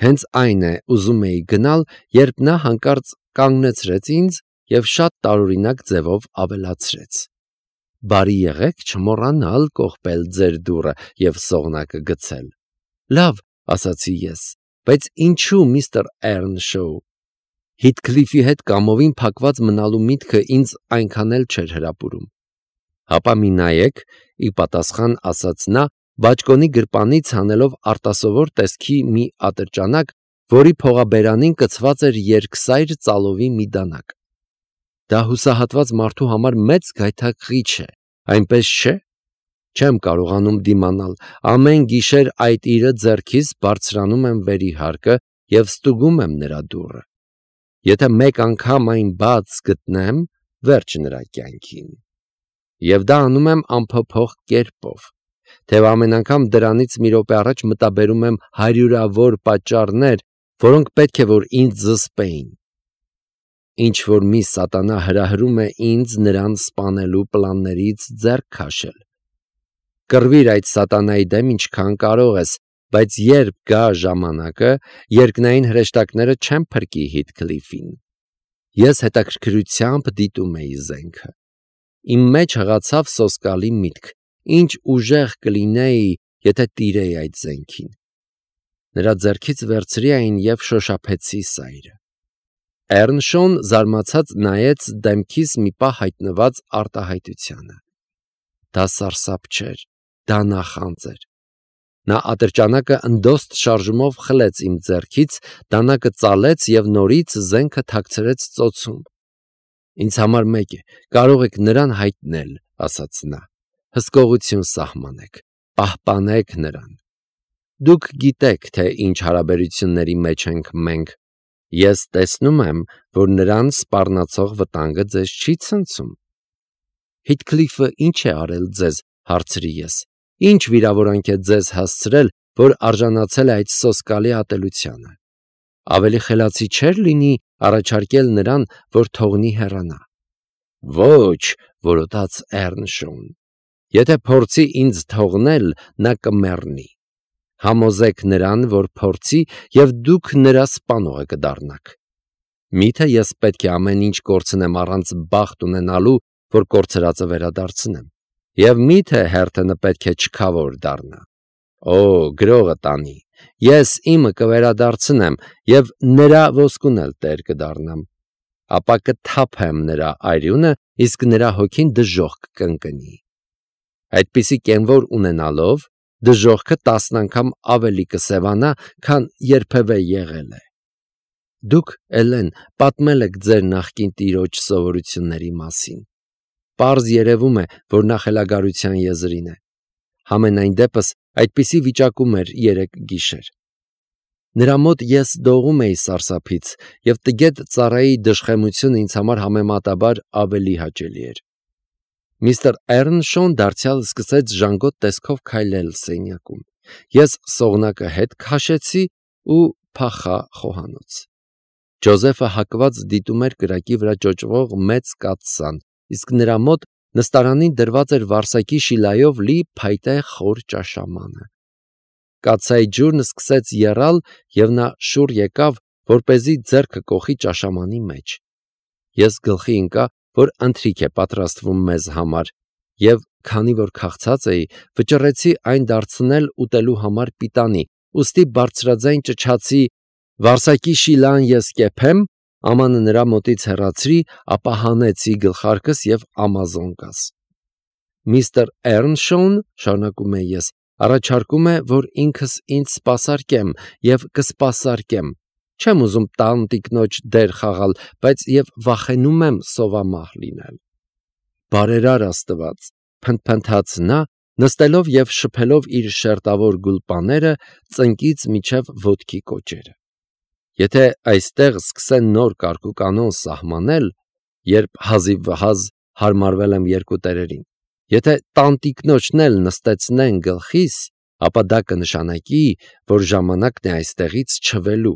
Հենց այն է ուզում էի գնալ, երբ նա հանկարծ կանգնեցրեց ինձ և շատ տարօրինակ ձևով ավելացրեց. «Բարի եղեք չմոռանալ կողպել ձեր դուռը և սողնակը գցել»։ «Լավ», ասացի ես, «բայց ինչու միստր Էռնշոու»։ Հիթքլիֆի հետ կամովին փակված մնալու միտքը ինձ այնքան էլ չէր հրապուրում։ «Հապա մի նայեք», ի պատասխան ասաց նա, բաճկոնի գրպանից հանելով արտասովոր տեսքի մի ատրճանակ, որի փողաբերանին կցված էր երկսայր ծալովի մի դանակ։ Դա հուսահատված մարդու համար մեծ գայթակղիչ է, այնպես չէ։ Չեմ կարողանում դիմանալ, ամեն գիշեր այդ իրը ձեռքիս բարձրանում եմ վերիհարկը և ստուգում եմ նրա դուռը։ Եթե մեկ անգամ այն բաց գտնեմ, վերջ նրա կյանքին։ Եվ դա անում եմ անփոփոխ կերպով, թեև ամեն անգամ դրանից մի րոպե առաջ մտաբերում եմ հարյուրավոր պատճառներ, որոնք պետք է որ ինձ զսպեին։ Ինչ-որ մի սատանա հրահրում է ինձ նրան սպանելու պլաններից ձեռք քաշել։ Կռվիր այդ սատանայի դեմ ինչքան կարող ես, բայց երբ գա ժամանակը, երկնային հրեշտակները չեն փրկի Հիթքլիֆին։ Ես հետաքրքրությամբ դիտում էի զենքը։ Իմ մեջ հղացավ սոսկալի միտք. ինչ ուժեղ կլինեի, եթե տիրեի այդ զենքին։ Նրա ձեռքից վերցրի այն և շոշափեցի սայրը։ Էռնշոուն զարմացած նայեց դեմքիս մի պահ հայտնված արտահայտությանը։ Դա սարսափ չէր, դա նախանձ էր։ Նա ատրճանակը ընդոստ շարժումով խլեց իմ ձեռքից, դանակը ծալեց և նորից զենքը թաքցրեց ծոցում։ «Ինձ համար մեկ է, կարող եք նրան հայտնել», ասաց նա, «հսկողություն սահմանեք, պահպանեք նրան։ Դուք գիտեք, թե ինչ հարաբերությունների մեջ ենք մենք։ Ես տեսնում եմ, որ նրան սպառնացող վտանգը ձեզ չի ցնցում»։ «Հիթքլիֆը ինչ է արել ձեզ», հարցրի ես։ «Ինչ վիրավորանք է ձեզ հասցրել, որ արժանացել է այդ սոսկալի ատելությանը։ Ավելի խելացի չէր լինի առաջարկել նրան, որ թողնի հեռանա»։ «Ոչ», որոտաց Էռնշոուն, «եթե փորձի ինձ թողնել, նա կմեռնի։ Համոզեք նրան, որ փորձի, և դուք նրա սպանողը կդառնաք։ Միթե ես պետք է ամեն ինչ կորցնեմ առանց բախտ ունենալու, որ կորցրածը վերադարձնեմ։ Եվ միթե Հերթենը պետք է չքավոր դառնա։ Օ, գրողը տանի, ես իմը կվերադարձնեմ և նրա ոսկուն էլ տեր կդառնամ։ Ապա կթափեմ նրա արյունը, իսկ նրա հոգին դժոխք կընկնի։ Այդպիսի կենվոր ունենալով, դժոխքը 10 անգամ ավելի կսևանա, քան երբևէ եղել է։ Դուք, Էլեն, պատմել եք ձեր նախկին տիրոջ սովորությունների մասին։ Պարզ երևում է, որ նա խելագարության եզրին է։ Համենայն դեպս այդպիսի վիճակում էր երեկ գիշեր։ Նրա մոտ ես դողում էի սարսափից, և տգետ ծառայի դժխեմությունը ինձ համար համեմատաբար ավելի հաճելի էր։ Միստր Էռնշոուն դարձյալ սկսեց ժանգոտ տեսքով քայլել սենյակում։ Ես սողնակը հետ քաշեցի ու փախա խոհանոց։ Ջոզեֆը հակված դիտում էր կրակի վրա ճոճվող մեծ կաթսան, իսկ նրա մոտ նստարանին դրված էր վարսակի շիլայով լի փայտե խոր ճաշամանը։ Կաթսայի ջուրն սկսեց եռալ, և նա շուռ եկավ, որպեսզի ձեռքը կոխի ճաշամանի մեջ։ Ես գլխի ընկա, որ ընթրիք է պատրաստվում մեզ համար, և քանի որ քաղցած էի, վճռեցի այն դարձնել ուտելու համար պիտանի, ուստի բարձրաձայն ճչացի. «Վարսակի շիլան ես կեփեմ», ամանը նրա մոտից հեռացրի, ապա հանեցի գլխարկս և ամազոնկաս։ Միստր Էռնշոուն, շարունակում էի ես, առաջարկում է, որ ինքս ինձ սպասարկեմ և կսպասարկեմ։ Չեմ ուզում տանտիկնոջ դեր խաղալ, բայց և վախենում եմ սովամահ լինել։ Բարերար Աստված, փնթփնթաց նա, նստելով և շփելով իր շերտավոր գուլպաները ծնկից մինչև ոտքի կոճերը։ Եթե այստեղ սկսեն նոր կարգուկանոն սահմանել, երբ հազիվհազ հարմարվել եմ երկու տերերին, եթե տանտիկնոջն էլ նստեցնեն գլխիս, ապա դա կնշանակի, որ ժամանակն է այստեղից չվելու։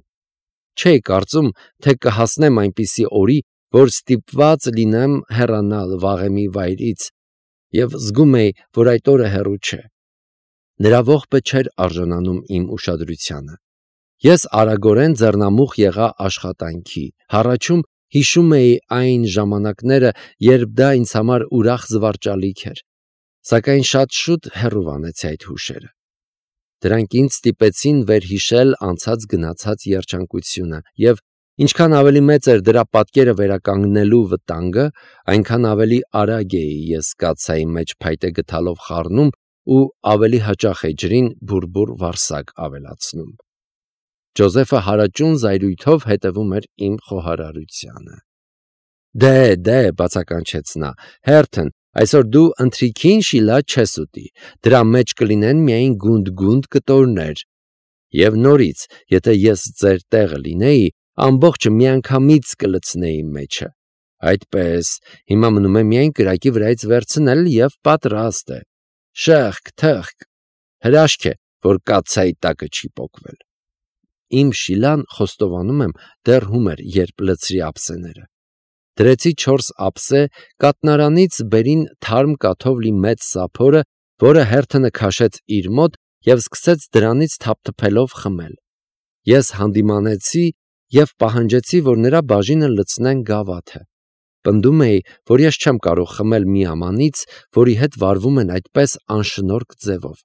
Չէի կարծում, թե կհասնեմ այնպիսի օրի, որ ստիպված լինեմ հեռանալ վաղեմի վայրից, և զգում էի, որ այդ օրը հեռու չէ։ Նրա ողբը չէր արժանանում իմ ուշադրությանը։ Ես արագորեն ձեռնամուխ եղա աշխատանքի։ Հառաչում հիշում էի այն ժամանակները, երբ դա ինձ համար ուրախ զվարճալիք էր, սակայն շատ շուտ հեռու անեցի այդ հուշերը։ Դրանք ինձ ստիպեցին վերհիշել անցած գնացած երջանկությունը, և ինչքան ավելի մեծ էր դրա պատկերը վերականգնելու վտանգը, այնքան ավելի արագ էի ես կաթսայի մեջ փայտե գդալով խառնում ու ավելի հաճախ էի ջրին բուռբուռ վարսակ ավելացնում։ Ջոզեֆը հարաճուն զայրույթով հետևում էր իմ խոհարարությանը։ Դե, բացականչեց նա, Հերթն, այսօր դու ընթրիքին շիլա չես ուտի, դրա մեջ կլինեն միայն գունդ կտորներ, և նորից, եթե ես ձեր տեղը լինեի, ամբողջը միանգամից կլցնեի մեջը։ Այդպես, հիմա մնում է միայն կրակի վրայից վերցնել և պատրաստ է։ Շըխկ, թխկ, հրաշք է, որ կաթսայի տակը չի պոկվել։ Իմ շիլան, խոստովանում եմ, դեռ հում էր, երբ լցրի ափսեները։ Դրեցի 4 ափսե, կաթնարանից բերին թարմ կաթով լի մեծ սափորը, որը Հերթը քաշեց իր մոտ և սկսեց դրանից թափթփելով խմել։ Ես հանդիմանեցի և պահանջեցի, որ նրա բաժինը լցնեն գավաթը։ Պնդում էի, որ ես չեմ կարող խմել մի ամանից, որի հետ վարվում են այդպես անշնորհք ձևով։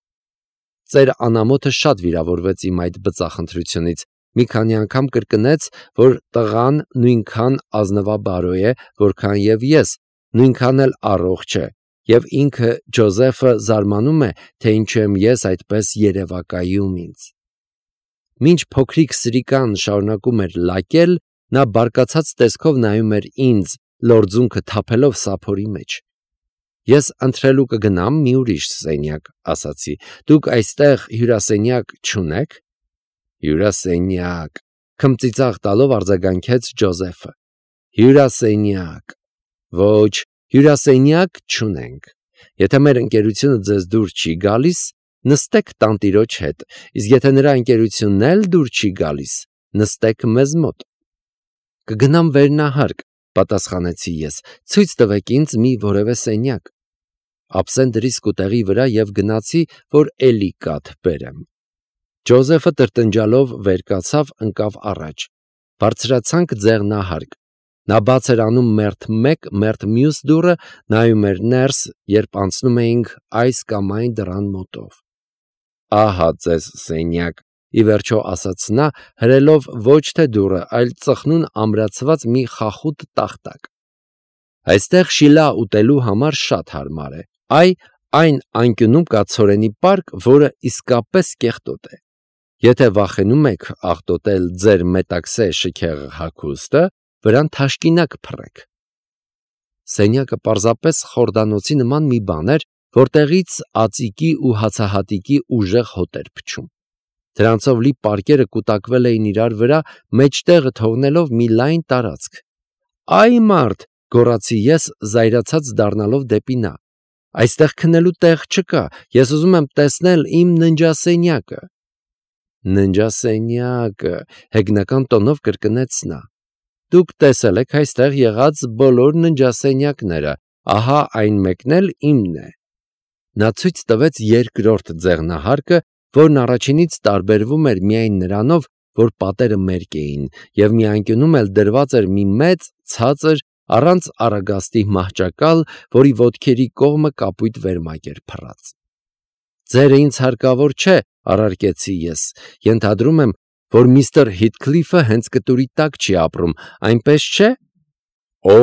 Ծեր անամոթը շատ վիրավորվեց իմ այդ բծախնդրությունից, մի քանի անգամ կրկնեց, որ տղան նույնքան ազնվաբարո է, որքան և ես, նույնքան էլ առողջ է, և ինքը Ջոզեֆը զարմանում է, թե ինչու եմ ես այդպես երևակայում ինձ։ Մինչ փոքրիկ սրիկան շարունակում էր լակել, նա բարկացած տեսքով նայում էր ինձ, լորձունքը թափելով սափորի մեջ։ Ես ընթրելու կգնամ մի ուրիշ սենյակ, ասացի, դուք այստեղ հյուրասենյակ չունե՞ք։ Հյուրասենյակ, քմծիծաղ տալով արձագանքեց Ջոզեֆը։ Հյուրասենյակ, ոչ, հյուրասենյակ չունենք։ Եթե մեր ընկերությունը ձեզ դուր չի գալիս, նստեք տանտիրոջ հետ, իսկ եթե նրա ընկերությունն էլ դուր չի գալիս, նստեք մեզ մոտ։ Կգնամ վերնահարկ, պատասխանեցի ես, ցույց տվեք ինձ մի որևէ սենյակ։ Ափսեն դրի սկուտեղի վրա և գնացի, որ էլի կաթ բերեմ։ Ջոզեֆը տրտնջալով վեր կացավ, ընկավ առաջ։ Բարձրացանք ձեղնահարկ։ Նա բաց էր անում մերթ մեկ, մերթ մյուս դուռը, նայում էր ներս, երբ անցնում էինք այս կամ այն դռան մոտով։ Ահա ձեզ սենյակ, ի վերջո ասաց նա, հրելով ոչ թե դուռը, այլ ծխնուն ամրացված մի խախուտ տախտակ։ Այստեղ շիլա ուտելու համար շատ հարմար է։ Այն անկյունում կա ցորենի պարկ, որը իսկապես կեղտոտ է։ Եթե վախենում եք աղտոտել ձեր մետաքսե շքեղ հագուստը, վրան թաշկինակ փռեք։ Սենյակը պարզապես խորդանոցի նման մի բան էր, որտեղից ածիկի ու հացահատիկի ուժեղ հոտ էր փչում։ Դրանցով լի պարկերը կուտակվել էին իրար վրա, մեջտեղը թողնելով մի լայն տարածք։ Այ մարդ, գոռացի ես, զայրացած դառնալով դեպի նա։ Այստեղ քնելու տեղ չկա, ես ուզում եմ տեսնել իմ ննջասենյակը։ Ննջասենյակը, հեգնական տոնով կրկնեց նա։ Դուք տեսել եք այստեղ եղած բոլոր ննջասենյակները, ահա այն մեկն էլ իմն է։ Նա ցույց տվեց երկրորդ ձեղնահարկը, որն առաջինից տարբերվում էր միայն նրանով, որ պատերը մերկ էին, և մի անկյունում էլ դրված էր մի մեծ, ցածր, առանց առագաստի մահճակալ, որի ոտքերի կողմը կապույտ վերմակ էր փռած։ Ձերը ինձ հարկավոր չէ, առարկեցի ես, ենթադրում եմ, որ միստր Հիթքլիֆը հենց կտուրի տակ չի ապրում, այնպես չէ։ Օ,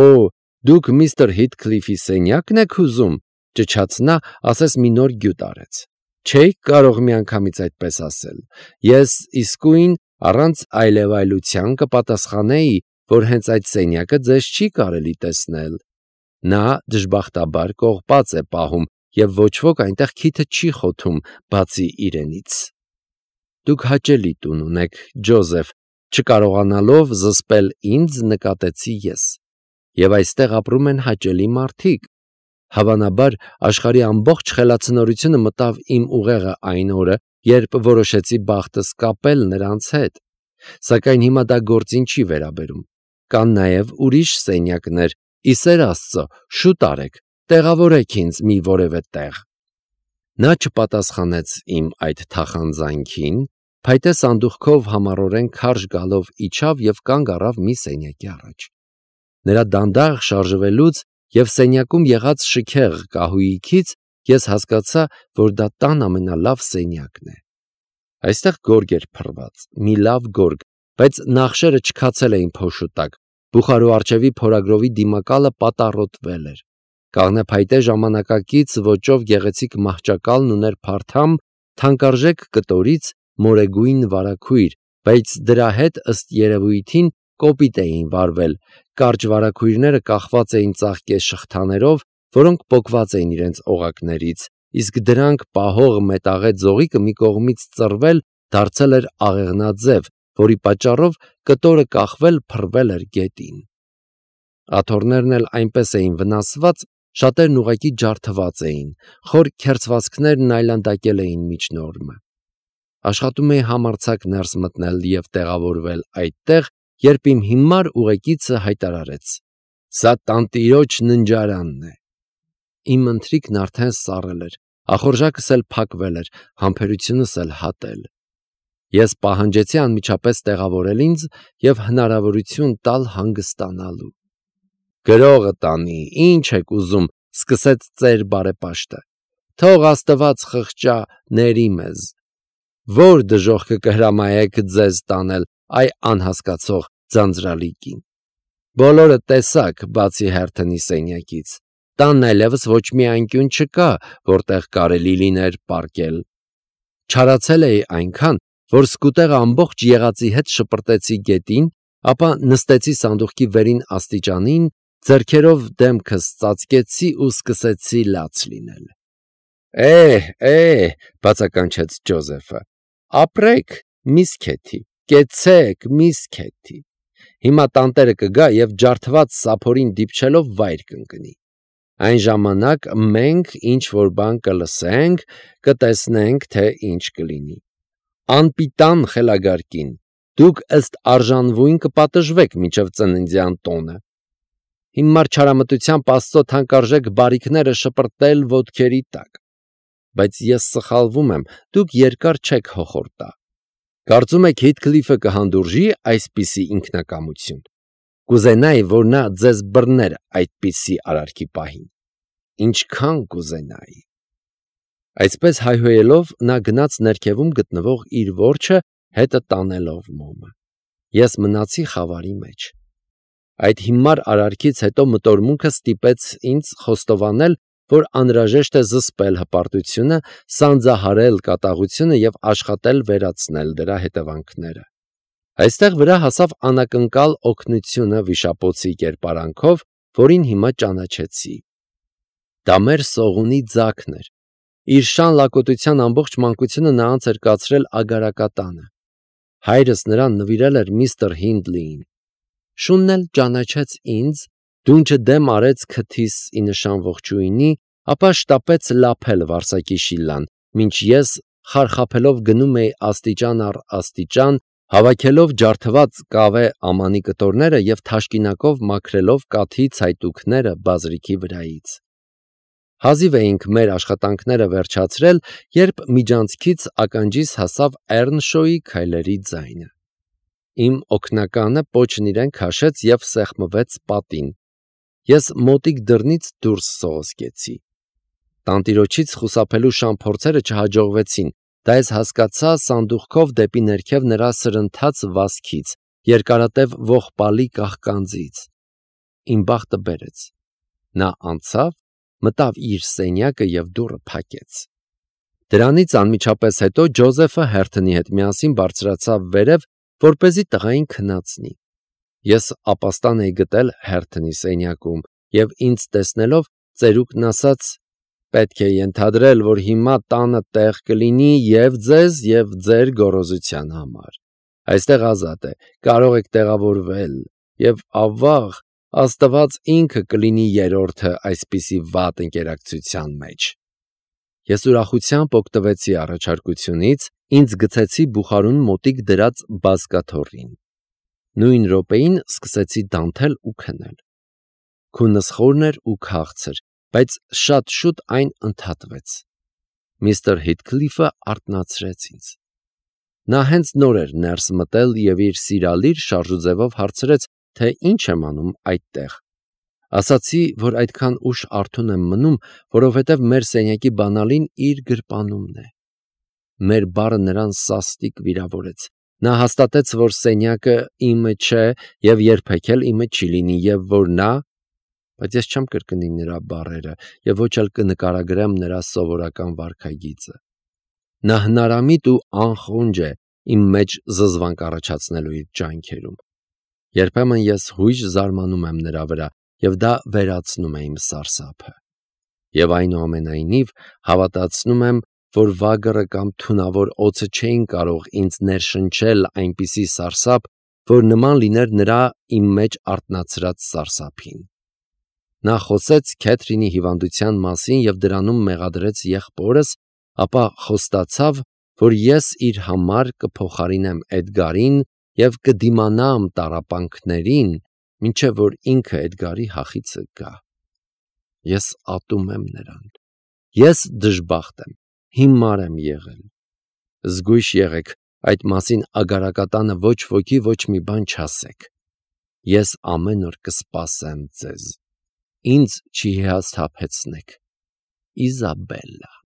դուք միստր Հիթքլիֆի սենյակն եք ուզում, ճչաց նա, ասես մի նոր գյուտ արեց։ Չէի կարող միանգամից այդպես ասել։ Ես իսկույն առանց այլևայլության կպատասխանեի, որ հենց այդ սենյակը ձեզ չի կարելի տեսնել։ Նա դժբախտաբար կողպած է պահում, և ոչ ոք այնտեղ քիթը չի խոթում, բացի իրենից։ Դուք հաճելի տուն ունեք, Ջոզեֆ, չկարողանալով զսպել ինձ, նկատեցի ես։ Եվ այստեղ ապրում են հաճելի մարդիկ։ Հավանաբար աշխարհի ամբողջ խելացնորությունը մտավ իմ ուղեղը այն օրը, երբ որոշեցի բախտս կապել նրանց հետ։ Սակայն հիմա դա գործին չի վերաբերում։ Կան նաև ուրիշ սենյակներ, ի սեր Աստծո, շուտ արեք, տեղավորեք ինձ մի որևէ տեղ։ Նա չպատասխանեց իմ այդ թախանձանքին, փայտե սանդուղքով համառորեն քարշ գալով իջավ եւ կանգ առավ մի սենյակի առաջ։ Նրա դանդաղ շարժվելուց եւ սենյակում եղած շքեղ կահույքից ես հասկացա, որ դա տան ամենալավ սենյակն է։ Այստեղ գորգ էր փռված, մի լավ գորգ, բայց նախշերը չքացել էին փոշու տակ, բուխարու արջևի փորագրովի դիմակալը պատառոտվել էր։ Կաղնեփայտե ժամանակակից ոճով գեղեցիկ մահճակալն ուներ փարթամ, թանկարժեք կտորից մորեգույն վարագույր, բայց դրա հետ ըստ երևույթին կոպիտ էին վարվել, կարճ վարագույրները կախված էին ծաղկե շղթաներով, որոնք պոկված էին իրենց օղակներից, իսկ դրանք պահող մետաղե ձողիկը մի կողմից ծռվել դարձել էր աղեղնաձև, որի պատճառով կտորը կախվել փռվել էր գետին։ Աթոռներն էլ այնպես էին վնասված, շատերն ուղղակի ջարդված էին, խոր քերծվածքներն այլանդակել էին միջնորմը։ Աշխատում էի համարձակ ներս մտնել և տեղավորվել այդտեղ, երբ իմ հիմար ուղեկիցը հայտարարեց. «Սա տանտիրոջ ննջարանն է»։ Իմ ընթրիքն արդեն սառել էր, ախորժակս էլ փակվել էր, համբերությունս էլ հատել։ Ես պահանջեցի անմիջապես տեղավորել ինձ և հնարավորություն տալ հանգստանալու։ «Գրողը տանի, ինչ եք ուզում», սկսեց ծեր բարեպաշտը։ «Թող Աստված խղճա, ների մեզ։ Ո՞ր դժոխքը կհրամայեք ձեզ տանել, այ անհասկացող ձանձրալի կին։ Բոլորը տեսաք, բացի Հերթոնի սենյակից։ Տանն այլևս ոչ մի անկյուն չկա, որտեղ կարելի լիներ պառկել։ Չարացել էի այնքան, որ սկուտեղը ամբողջ եղածի հետ շպրտեցի գետին, ապա նստեցի սանդուղքի վերին աստիճանին, ձեռքերով դեմքս ծածկեցի ու սկսեցի լաց լինել։ Բացականչեց Ջոզեֆը, ապրեք, միս Քեթի, կեցեք, միս Քեթի։ Հիմա տանտերը կգա և ջարդված սափորին դիպչելով վայր կընկնի։ Այն ժամանակ մենք ինչ-որ բան կլսենք, կտեսնենք, թե ինչ կլինի։ Անպիտան խելագար կին, դուք ըստ արժանվույն կպատժվեք մինչև ծննդյան տոնը։ Հիմար չարամտությամբ Աստծո թանկարժեք բարիքները շպրտել ոտքերի տակ։ Բայց ես սխալվում եմ, դուք երկար չեք հոխորտա։ Կարծում եք Հիթքլիֆը կհանդուրժի այսպիսի ինքնակամություն։ Կուզենայի, որ նա ձեզ բռներ այդպիսի արարքի պահին։ Ինչքան կուզենայի։ Այսպես հայհոյելով նա գնաց ներքևում գտնվող իր որջը, հետը տանելով մոմը։ Ես մնացի խավարի մեջ։ Այդ հիմար արարքից հետո մտորմունքը ստիպեց ինձ խոստովանել, որ անհրաժեշտ է զսպել հպարտությունը, սանձահարել կատաղությունը և աշխատել վերացնել դրա հետևանքները։ Այստեղ վրա հասավ անակնկալ օգնությունը վիշապոցի կերպարանքով, որին հիմա ճանաչեցի։ Դա մեր Սողունի ձագն էր։ Իր շան լակոտության ամբողջ մանկությունը նա անց էր կացրել ագարակատանը։ Հայրս նրան նվիրել էր միստր Հինդլիին։ Շունն էլ ճանաչեց ինձ, դունչը դեմ արեց քթիս ի նշան ողջույնի, ապա շտապեց լափել Վարսակի շիլլան, մինչ ես խարխափելով գնում էի աստիճան առ աստիճան, հավաքելով ջարդված կավե ամանի կտորները և թաշկինակով մաքրելով կաթի ցայտուքները բազրիքի վրայից։ Հազիվ էինք մեր աշխատանքները վերջացրել, երբ միջանցքից ականջիս հասավ Էռնշոյի քայլերի ձայնը։ Իմ օգնականը պոչն իրեն քաշեց և սեղմվեց պատին։ Ես մոտիկ դռնից դուրս սողոսկեցի։ Տանտիրոջից խուսափելու շան փորձերը չհաջողվեցին, դա ես հասկացա սանդուղքով դեպի ներքև նրա սրընթաց վազքից, երկարատև ողբալի կաղկանձից։ Իմ բախտը բերեց։ Նա անցավ, մտավ իր սենյակը և դուռը փակեց։ Դրանից անմիջապես հետո Ջոզեֆը Հերթոնի հետ միասին բարձրացավ վերև, որպեսզի տղային քնացնի։ Ես ապաստան էի գտել Հերթոնի սենյակում և ինձ տեսնելով ծերուկն ասաց. «Պետք է ենթադրել, որ հիմա տանը տեղ կլինի և ձեզ, և ձեր գոռոզության համար։ Այստեղ ազատ է, կարող եք տեղավորվել, և ավաղ, Աստված ինքը կլինի երրորդը այսպիսի վատ ընկերակցության մեջ»։ Ես ուրախությամբ օգտվեցի առաջարկությունից, ինձ գցեցի բուխարուն մոտիկ դրած բազկաթոռին։ Նույն րոպեին սկսեցի դանթել ու քնել։ Քունս խորն էր ու քաղցր, բայց շատ շուտ այն ընդհատվեց։ Միստր Հիթքլիֆը արթնացրեց ինձ։ Նա հենց նոր էր ներս մտել և իր սիրալիր շարժուձևով հարցրեց, թե ինչ եմ անում այդտեղ։ Ասացի, որ այդքան ուշ արթուն եմ մնում, որովհետև մեր սենյակի բանալին իր գրպանումն է։ Մեր բառը նրան սաստիկ վիրավորեց։ Նա հաստատեց, որ սենյակը իմը չէ և երբեք էլ իմը չի լինի, և որ նա… Բայց ես չեմ կրկնի նրա բառերը և ոչ էլ կնկարագրեմ նրա սովորական վարքագիծը։ Նա հնարամիտ ու անխոնջ է իմ մեջ զզվանք առաջացնելու իր ջանքերում։ Երբեմն ես հույժ զարմանում եմ նրա վրա, և դա վերացնում է իմ սարսափը։ Եվ այնուամենայնիվ հավատացնում եմ, որ վագրը կամ թունավոր օձը չէին կարող ինձ ներշնչել այնպիսի սարսափ, որ նման լիներ նրա իմ մեջ արթնացրած սարսափին։ Նա խոսեց Քեթրինի հիվանդության մասին և դրանում մեղադրեց եղբորս, ապա խոստացավ, որ ես իր համար կփոխարինեմ Էդգարին և կդիմանամ տառապանքներին, մինչև որ ինքը Էդգարի հախիցը գա։ Ես ատում եմ նրան։ Ես դժբախտ եմ, հիմար եմ եղել։ Զգույշ եղեք, այդ մասին Ագարակատանը ոչ ոքի ոչ մի բան չասեք։ Ես ամեն օր կսպասեմ ձեզ։ Ինձ չհիասթափեցնեք։ Իզաբելլա։